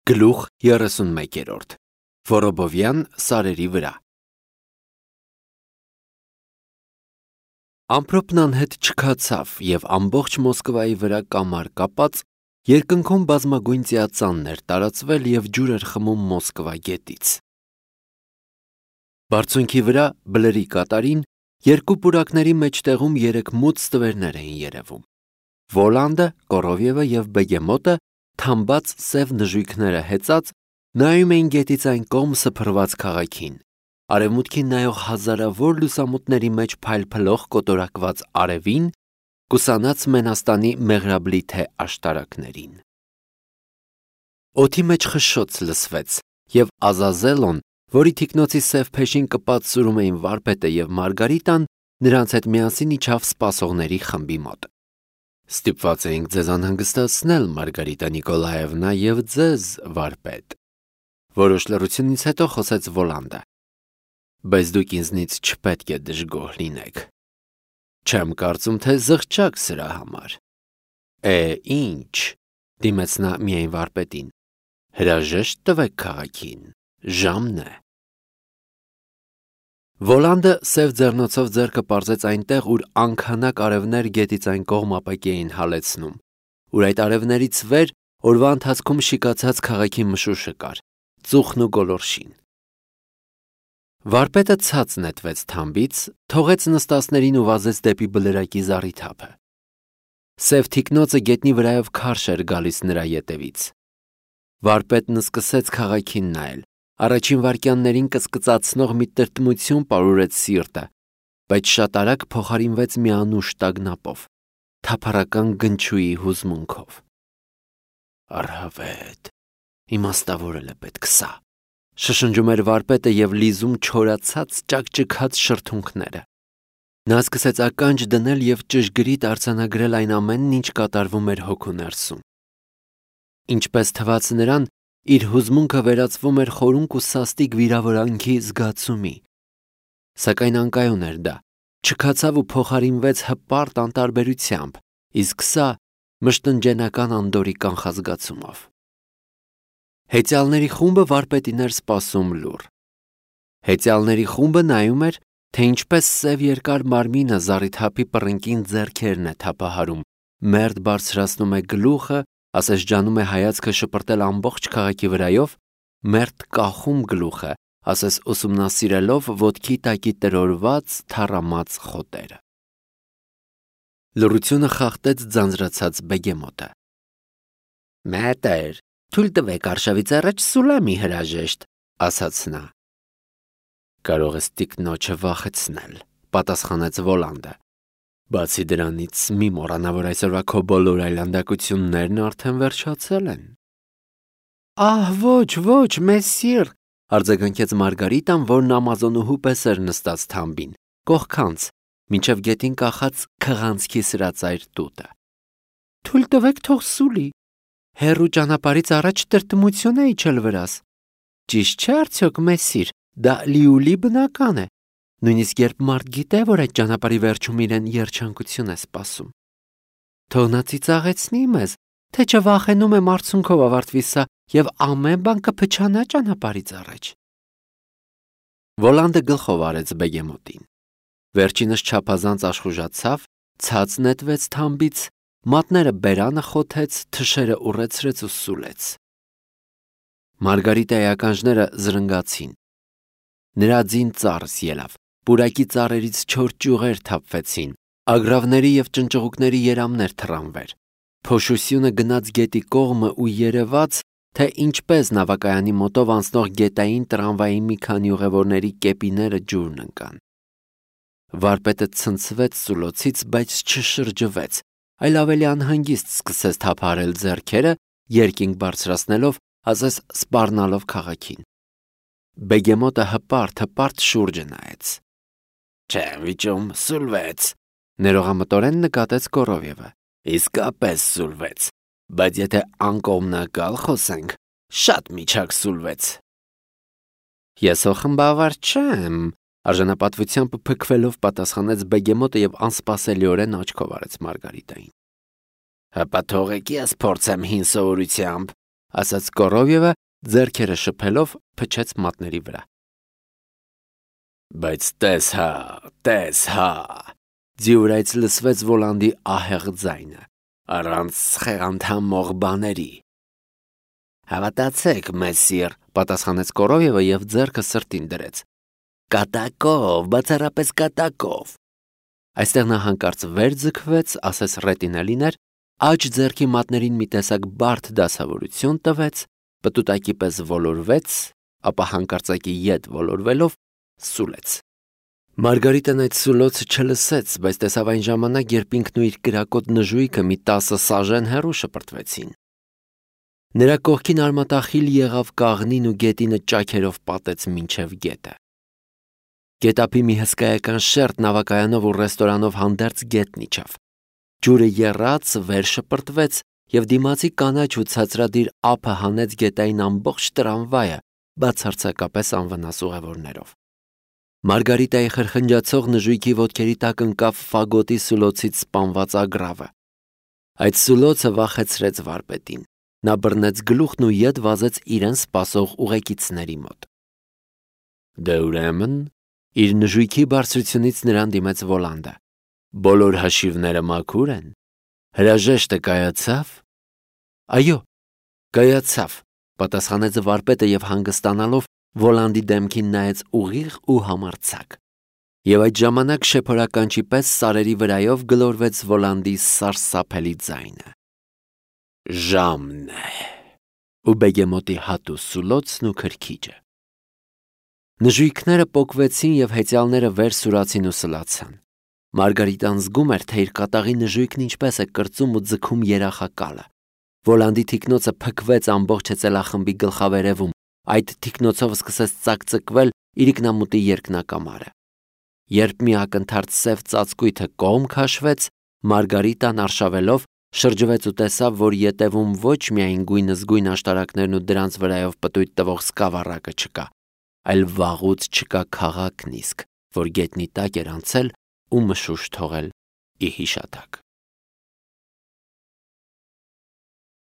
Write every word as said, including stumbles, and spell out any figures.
Գլուխ երեսունմեկերորդ Որոբովյան սարերի վրա Ամպրոպն անհետ չքացավ և ամբողջ Մոսկվայի վրա կամար կապած երկնքում բազմագույն ծիածանն էր տարածվել և ջուր էր խմում Մոսկվա գետից։ Բարձունքի վրա բլրի կատարին երկու պուրակների մեջտեղում երեք մուծ ստվերներ էին երևում։ Վոլանդը, Կորովևը և Բեգեմոտը թամբած սև նժույգները հեծած նայում էին գետից այն կողմ սփռված քաղաքին, արևմուտքին նայող հազարավոր լուսամուտների մեջ փայլփլող կոտորակված արևին, կուսանած Մենաստանի մեղրաբլիթե աշտարակներին։ Օդի մեջ խշշոց լսվեց, և Ազազելոն, որի թիկնոցի սև փեշին կպած սուրում էին վարպետը և Մարգարիտան, նրանց հետ միասին իջավ սպասողների խմբի մոտ։ Ստիպված էինք ձեզ անհանգստացնել, Մարգարիտա Նիկոլաևնա, և ձեզ, վարպետ, որոշ լռությունից հետո խոսեց Վոլանդը, բայց դուք ինձնից չպետք է դժգոհ լինեք։ Չեմ կարծում, թե զղջաք սրա համար։ Է, ինչ, դիմեց նա միայն վարպետին, հրաժեշտ տվեք քաղաքին, ժամն է։ Վոլանդը սև ձեռնոցով ձեռքը պարզեց այնտեղ, ուր անքանակ արևներ գետից այն կողմ ապակի էին հալեցնում, ուր այդ արևներից վեր օրվա ընթացքում շիկացած քաղաքի մշուշը կար, ծուխն ու գոլորշին։ Վարպետը ցած նետվեց թամբից, թողեց նստածներին ու վազեց դեպի բլրակի զառիթափը։ Սև թիկնոցը գետնի վրայով քարշ էր գալիս նրա ետևից։ Վարպետն սկսեց քաղաքին նայել, առաջին վայրկյաններին կծկծացնող մի տրտմություն պարուրեց սիրտը, բայց շատ արագ փոխարինվեց մի անուշ տագնապով, թափառական գնչուի հուզմունքով։ Առհավետ, իմաստավորել է պետք սա, շշնջում էր վարպետը և լիզում չորացած ճաքճքած շրթունքները։ Նա սկսեց ականջ դնել և ճշգրիտ արձանագրել այն ամենն, ինչ կատարվում էր հոգու ներսում։ Ինչպես թվաց նրան, իր հուզմունքը վերածվում էր խորունկ ու սաստիկ վիրավորանքի զգացումի։ Սակայն անկայուն էր դա, չքացավ ու փոխարինվեց հպարտ անտարբերությամբ, իսկ սա մշտնջենական անդորրի կանխազգացումով։ Հեծյալների խումբը վարպետին էր սպասում լուռ։ Հեծյալների խումբը նայում էր, թե ինչպես սև երկար մարմինը զառիթափի պռնկին ձեռքերն է թափահարում, մերթ բարձրացնում է գլուխը, ասես ջանում է հայացքը շպրտել ամբողջ քաղաքի վրայով, մերթ կախում գլուխը, ասես ուսումնասիրելով ոտքի տակի տրորված, թառամած խոտերը։ Լռությունը խախտեց ձանձրացած Բեգեմոտը։ Մետր, թույլ տվեք արշավից առաջ սուլամի հրաժեշտ, ասաց նա։ Կարող ես տիկնոջը վախեցնել, պատասխանեց Վոլանդը։ Բացի դրանից մի մոռանա, որ այսօրվա քո բոլոր այլանդակություններն արդեն վերջացել են։ Ահ, ոչ, ոչ, մեսիր, արձագանքեց Մարգարիտան, որն ամազոնուհու պես էր նստած թամբին, կողքանց, մինչև գետին կախած քղանցքի սրածայր տուտը։ Թույլ տվեք թող սուլի։ Հեռու ճանապարհից առաջ տրտմություն է իջել վրաս։ Ճիշտ չէ արդյոք, մեսիր, դա լիուլի բնական է։ Նույնիսկ երբ մարդ գիտե, որ այդ ճանապարհի վերջում իրեն երջանկություն է սպասում։ Թող նա ծիծաղեցնի մեզ, թե չվախենում է մարցունքով ավարտվի սա և ամեն բան կփչանա ճանապարհից առաջ։ Վոլանդը գլխով արեց Բեգեմոտին։ Վերջինս չափազանց աշխուժացավ, ցած նետվեց թամբից, մատները բերանը խոթեց, թշերը ուռեցրեց ու սուլեց։ Մարգարիտայի ականջները զրնգացին։ Նրա ձին ծառս ելավ, պուրակի ծառերից չոր ճյուղեր թափվեցին, ագռավների և ճնճղուկների երամներ թռան վեր։ Փոշուսյունը գնաց գետի կողմը ու երևաց, թե ինչպես նավակայանի մոտով անցնող գետային տրամվայի մի քանի ուղևորների կեպիները ջուրն ընկան։ Վարպետը ցնցվեց սուլոցից, բայց չշրջվեց, այլ ավելի անհանգիստ սկսեց թափահարել ձեռքերը, երկինք բարձրացնելով, ասես սպառնալով քաղաքին։ Բեգեմոտը հպարտ-հպարտ շուրջը նայեց։ Չեմ վիճում, սուլվեց, ներողամտորեն նկատեց Կորովևը։ Իսկապես սուլվեց, բայց եթե անկողմնակալ խոսենք, շատ միջակ սուլվեց։ Ես հո խմբավար չեմ, արժանապատվությամբ փքվելով պատասխանեց Բեգեմոտը և անսպասելիորեն աչքով արեց Մարգարիտային։ Հպա թողեք ես փորձեմ հին սովորությամբ, ասաց Կորովևը, ձեռքերը շփելով փչեց մատների վրա։ Բայց տես հա, տես հա, ձյուրայց լսվեց Վոլանդի ահեղ ձայնը, առանց խեղանդամող բաների։ Հավատացեք, մեսիր, պատասխանեց Կորովևը եւ ձեռքը սրտին դրեց։ Կատակով, բացառապես կատակով։ Այստեղ նա հանկարծ վեր ձգվեց, ասես ռետինելիներ, աջ ձեռքի մատներին մի տեսակ բարդ դասավորություն տվեց, պտուտակի պես ոլորվեց, ապա հանկարծակի ետ ոլորվելով սուլեց։ Մարգարիտան այդ սուլոցը չլսեց, բայց տեսավ այն ժամանակ, երբ ինքն ու իր կրակոտ նժույգը մի տասը սաժեն հեռու շպրտվեցին։ Նրա կողքին արմատախիլ եղավ կաղնին ու գետինը ճաքերով պատեց մինչև գետը։ Գետափի մի հսկայական շերտ նավակայանով ու ռեստորանով հանդերձ գետն իջավ։ Ջուրը եռաց, վեր շպրտվեց եւ դիմացի կանաչ ու ցածրադիր ափը հանեց գետային ամբողջ տրամվայը, բացարձակապես անվնաս ուղևորներով։ Մարգարիտայի խրխնջացող նժույգի ոտքերի տակ ընկավ ֆագոտի սուլոցից սպանված ագրավը։ Այդ սուլոցը վախեցրեց վարպետին։ Նա բռնեց գլուխն ու ետ վազեց իրեն սպասող ուղեկիցների մոտ։ Դե ուրեմն, իր նժույգի բարձրությունից նրան դիմեց Վոլանդը։ Բոլոր հաշիվները մաքուր են։ Հրաժեշտը կայացավ։ Այո, կայացավ, պատասխանեց վարպետը եւ հանգստանալով Վոլանդի դեմքին նայեց ուղիղ ու համարձակ։ Եվ այդ ժամանակ շեփորականչի պես սարերի վրայով գլորվեց Վոլանդի սարսափելի ձայնը։ Ժամն է։ Ու բեգեմոտի հատու սուլոցն ու քրքիջը։ Նժույգները պոկվեցին եւ հեծյալները վեր սուրացին ու սլացան։ Մարգարիտան զգում էր, թե իր կատաղի նժույգն ինչպես է կրծում ու ձգում երախակալը։ Վոլանդի թիկնոցը փքվեց ամբողջ հեծելախմբի գլխավերևում, այդ թիկնոցով սկսեց ծակծկվել իրիկնամուտի երկնակամարը։ Երբ մի ակնթարթ սև ծածկույթը կողմ քաշվեց, Մարգարիտան արշավելով շրջվեց ու տեսավ, որ ետևում ոչ միայն գույնզգույն աշտարակներն ու դրանց վրայով պտույտ տվող սկավառակը չկա, այլ վաղուց չկա քաղաքն իսկ, որ գետնի տակ էր անցել ու մշուշ թողել ի հիշատակ։